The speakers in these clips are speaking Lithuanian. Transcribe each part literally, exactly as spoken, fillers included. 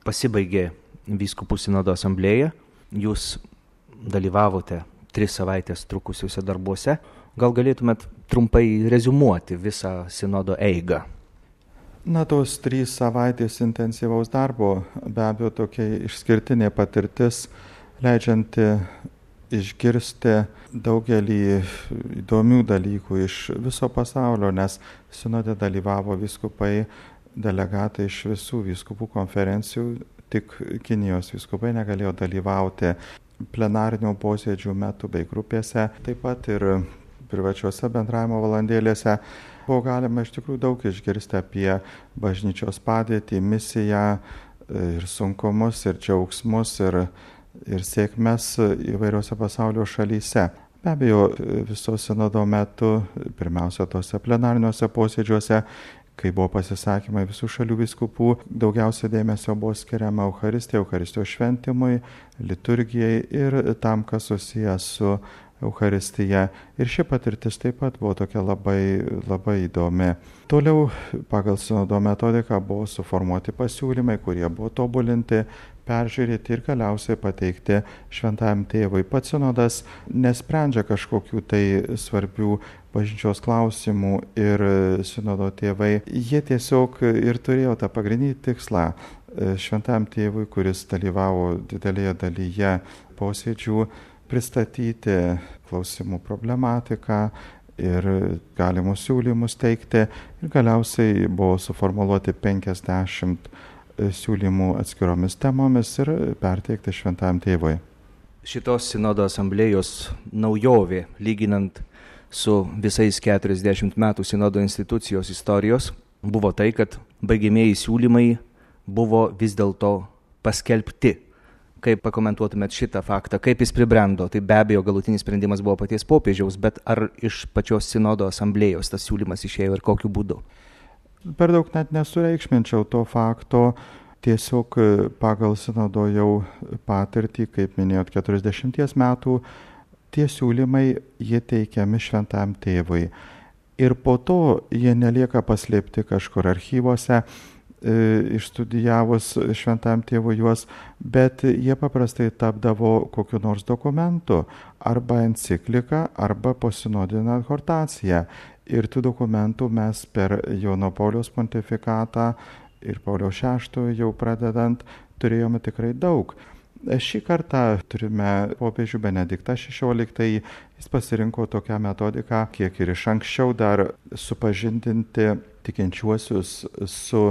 pasibaigė vyskupų sinodo asamblėja, jūs dalyvavote tris savaitės trukusiuose darbuose. Gal galėtumėt trumpai reziumuoti visą sinodo eigą? Na, tos trys savaitės intensyvaus darbo be abejo tokia išskirtinė patirtis, leidžianti išgirsti daugelį įdomių dalykų iš viso pasaulio, nes sinode dalyvavo vyskupai, delegatai iš visų vyskupų konferencijų, tik Kinijos vyskupai negalėjo dalyvauti plenarinių posėdžių metu bei grupėse, taip pat ir privačiuose bendravimo valandėlėse. Buvo galima iš tikrųjų daug išgirsti apie bažnyčios padėtį, misiją ir sunkumus, ir džiaugsmus, ir, ir sėkmes įvairiose pasaulio šalyse. Be abejo, viso sinodo metu, pirmiausia, tose plenariniuose posėdžiuose, kai buvo pasisakymai visų šalių vyskupų, daugiausia dėmesio buvo skiriama Eucharistijai, Eucharistijos šventimui, liturgijai ir tam, kas susijęs su Eucharistija. Ir ši patirtis taip pat buvo tokia labai, labai įdomi. Toliau pagal sinodo metodiką buvo suformuoti pasiūlymai, kurie buvo tobulinti, peržiūrėti ir galiausiai pateikti šventajam tėvui. Pats sinodas nesprendžia kažkokių tai svarbių bažnyčios klausimų ir sinodo tėvai. Jie tiesiog ir turėjo tą pagrindinį tikslą šventajam tėvui, kuris dalyvavo didelėje dalyje posėdžių, pristatyti klausimų problematiką ir galimus siūlymus teikti. Ir galiausiai buvo suformuluoti penkiasdešimt siūlymų atskiromis temomis ir perteikti šventajam tėvui. Šitos sinodo asamblėjos naujovė, lyginant su visais keturiasdešimt metų sinodo institucijos istorijos, buvo tai, kad baigiamieji siūlymai buvo vis dėlto paskelbti. Kaip pakomentuotumėt šitą faktą, kaip jis pribrendo? Tai be abejo galutinis sprendimas buvo paties popiežiaus, bet ar iš pačios sinodo asamblėjos tas siūlymas išėjo ir kokiu būdu? Per daug net nesureikšminčiau to fakto, tiesiog pagal sinodo jau patirtį, kaip minėjot, keturiasdešimties metų, tie siūlymai jie teikiami šventajam tėvui. Ir po to jie nelieka paslėpti kažkur archyvose, išstudijavus šventajam tėvui juos, bet jie paprastai tapdavo kokiu nors dokumentu, arba enciklika, arba posinodinė adhortacija. Ir tų dokumentų mes per Jono Pauliaus pontifikatą ir Pauliaus šeštojo jau pradedant turėjome tikrai daug. Šį kartą turime popiežių Benediktą šešioliktąjį, jis pasirinko tokią metodiką, kiek ir iš anksčiau dar supažindinti tikinčiuosius su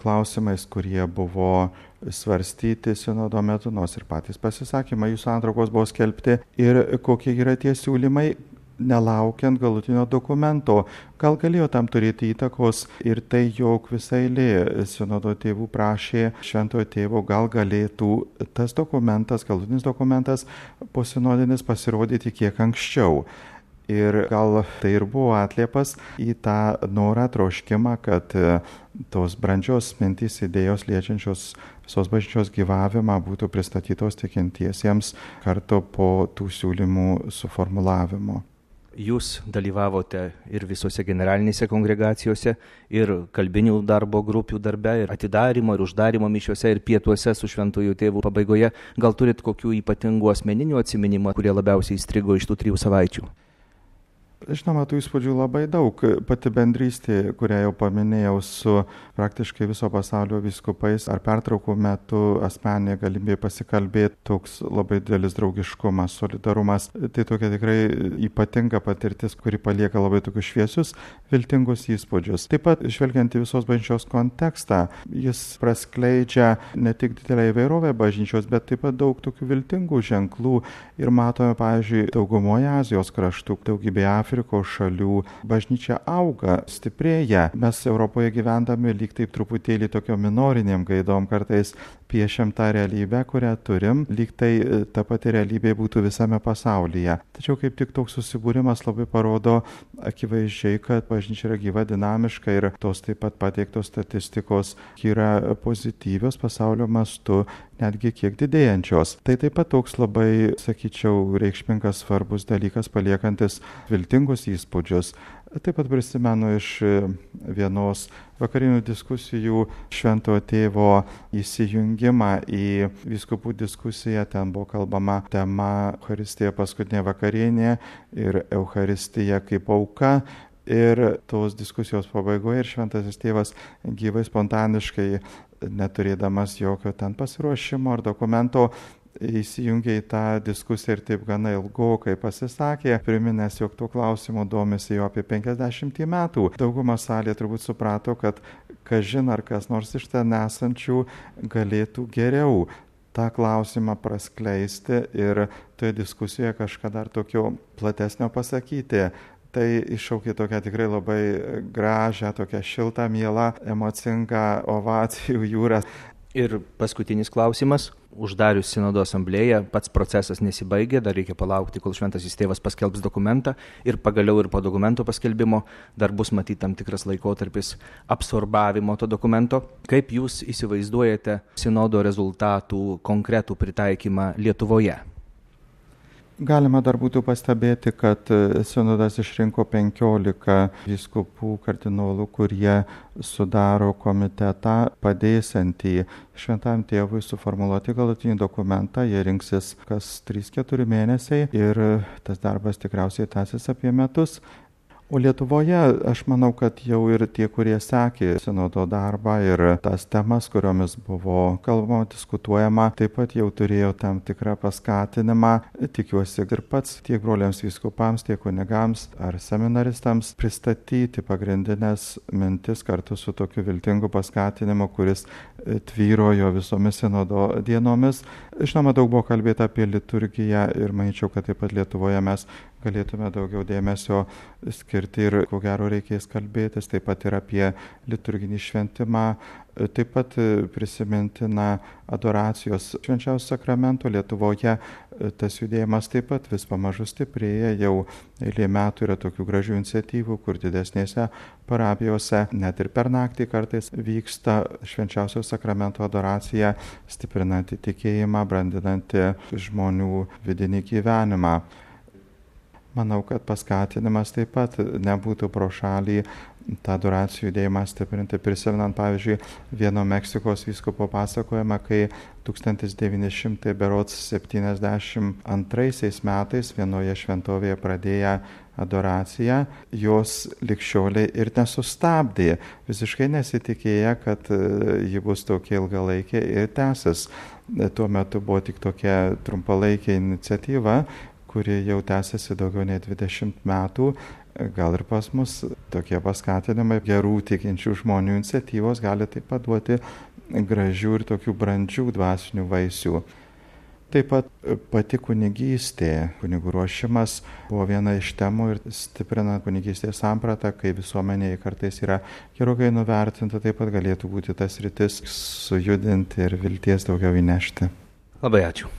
klausimais, kurie buvo svarstyti sinodo metu, nors ir patys pasisakymai, jų santraukos buvo skelbti ir kokie yra tie siūlymai, nelaukiant galutinio dokumento. Gal galėjo tam turėti įtakos ir tai, jog visa eilė sinodo tėvų prašė šventojo tėvo, gal galėtų tas dokumentas, galutinis dokumentas posinodinis pasirodyti kiek anksčiau. Ir gal tai ir buvo atliepas į tą norą, troškimą, kad tos brandžios mintys, idėjos liečiančios visos bažnyčios gyvavimą būtų pristatytos tikintiesiems kartu po tų siūlymų suformulavimo. Jūs dalyvavote ir visose generalinėse kongregacijose, ir kalbinių darbo grupių darbe, ir atidarimo, ir uždarimo mišiuose, ir pietuose su šventųjų tėvų pabaigoje. Gal turit kokių ypatingų asmeninių atsiminimų, kurie labiausiai įstrigo iš tų trijų savaičių? Žinoma, tų įspūdžių labai daug. Pati bendrystė, kurią jau paminėjau, su praktiškai viso pasaulio vyskupais, ar pertraukų metu asmeninė galimybė pasikalbėti, toks labai didelis draugiškumas, solidarumas. Tai tokia tikrai ypatinga patirtis, kuri palieka labai tokius šviesius, viltingus įspūdžius. Taip pat, žvelgiant į visos bažnyčios kontekstą, jis praskleidžia ne tik didelę įvairovę bažnyčios, bet taip pat daug tokių viltingų ženklų. Ir matome, pavyzdžiui, daugumoje Azijos kraštų, daugybėje Afrikos šalių bažnyčia auga, stiprėja. Mes Europoje gyvendami lyg taip truputėlį tokio minoriniam gaidom kartais piešiam tą realybę, kurią turim, lyg tai ta pati realybė būtų visame pasaulyje. Tačiau kaip tik toks susibūrimas labai parodo akivaizdžiai, kad bažnyčia yra gyva, dinamiška ir tos taip pat pateiktos statistikos yra pozityvios pasaulio mastu, netgi kiek didėjančios. Tai taip pat toks labai, sakyčiau, reikšmingas svarbus dalykas, paliekantis viltingus įspūdžius. Taip pat prisimenu iš vienos vakarinių diskusijų Šventojo Tėvo įsijungimą į vyskupų diskusiją. Ten buvo kalbama tema Eucharistija paskutinė vakarienė ir Eucharistija kaip auka. Ir tos diskusijos pabaigoje ir Šventasis Tėvas gyvai spontaniškai, neturėdamas jokio ten pasiruošimo ar dokumento, įsijungė į tą diskusiją ir taip gana ilgokai pasisakė, priminęs, jog tuo klausimu domisi jau apie penkiasdešimt metų. Dauguma salėje turbūt suprato, kad kažin ar kas nors iš ten esančių galėtų geriau tą klausimą praskleisti ir toje diskusijoje kažką dar tokio platesnio pasakyti. Tai iššaukė tokią tikrai labai gražią, tokią šiltą, mielą, emocingą ovacijų jūrą. Ir paskutinis klausimas. Uždarius Sinodo asamblėją, pats procesas nesibaigė, dar reikia palaukti, kol Šventasis Tėvas paskelbs dokumentą ir pagaliau ir po dokumento paskelbimo dar bus matyti tam tikras laikotarpis absorbavimo to dokumento. Kaip jūs įsivaizduojate Sinodo rezultatų konkretų pritaikymą Lietuvoje? Galima dar būtų pastebėti, kad Sinodas išrinko penkiolika vyskupų kardinolų, kurie sudaro komitetą padėsiantį Šventajam Tėvui suformuluoti galutinį dokumentą. Jie rinksis kas trys keturi mėnesiai ir tas darbas tikriausiai tęsis apie metus. O Lietuvoje aš manau, kad jau ir tie, kurie sekė Sinodo darbą ir tas temas, kuriomis buvo kalbama, diskutuojama, taip pat jau turėjo tam tikrą paskatinimą. Tikiuosi ir pats tiek broliams vyskupams, tiek kunigams ar seminaristams pristatyti pagrindinės mintis kartu su tokiu viltingu paskatinimu, kuris tvyrojo visomis Sinodo dienomis. Žinoma, daug buvo kalbėta apie liturgiją ir manyčiau, kad taip pat Lietuvoje mes galėtume daugiau dėmesio skirti ir ko gero reikės kalbėtis taip pat ir apie liturginį šventimą, taip pat prisimintina adoracijos švenčiausio sakramento. Lietuvoje tas judėjimas taip pat vis pamažu stiprėja, jau eilė metų yra tokių gražių iniciatyvų, kur didesnėse parapijose net ir per naktį kartais vyksta švenčiausio sakramento adoracija, stiprinanti tikėjimą, brandinanti žmonių vidinį gyvenimą. Manau, kad paskatinimas taip pat nebūtų pro šalį tą adoracijų judėjimą stiprinti. Prisimenant, pavyzdžiui, vieno Meksikos vyskupo pasakojimą, kai tūkstantis devyni šimtai septyniasdešimt antraisiais metais vienoje šventovėje pradėję adoraciją, jos ligšioliai ir nesustabdė, visiškai nesitikėję, kad ji bus tokia ilgalaikė ir tęsis. Tuo metu buvo tik tokia trumpalaikė iniciatyva, kuri jau tęsiasi daugiau nei dvidešimt metų. Gal ir pas mus tokie paskatinimai gerų tikinčių žmonių iniciatyvos gali taip pat duoti gražių ir tokių brandžių dvasinių vaisių. Taip pat pati kunigystė, kunigų ruošimas buvo viena iš temų ir stiprinant kunigystės sampratą, kai visuomenėje kartais yra gerokai nuvertinta, taip pat galėtų būti tas sritis sujudinti ir vilties daugiau įnešti. Labai ačiū.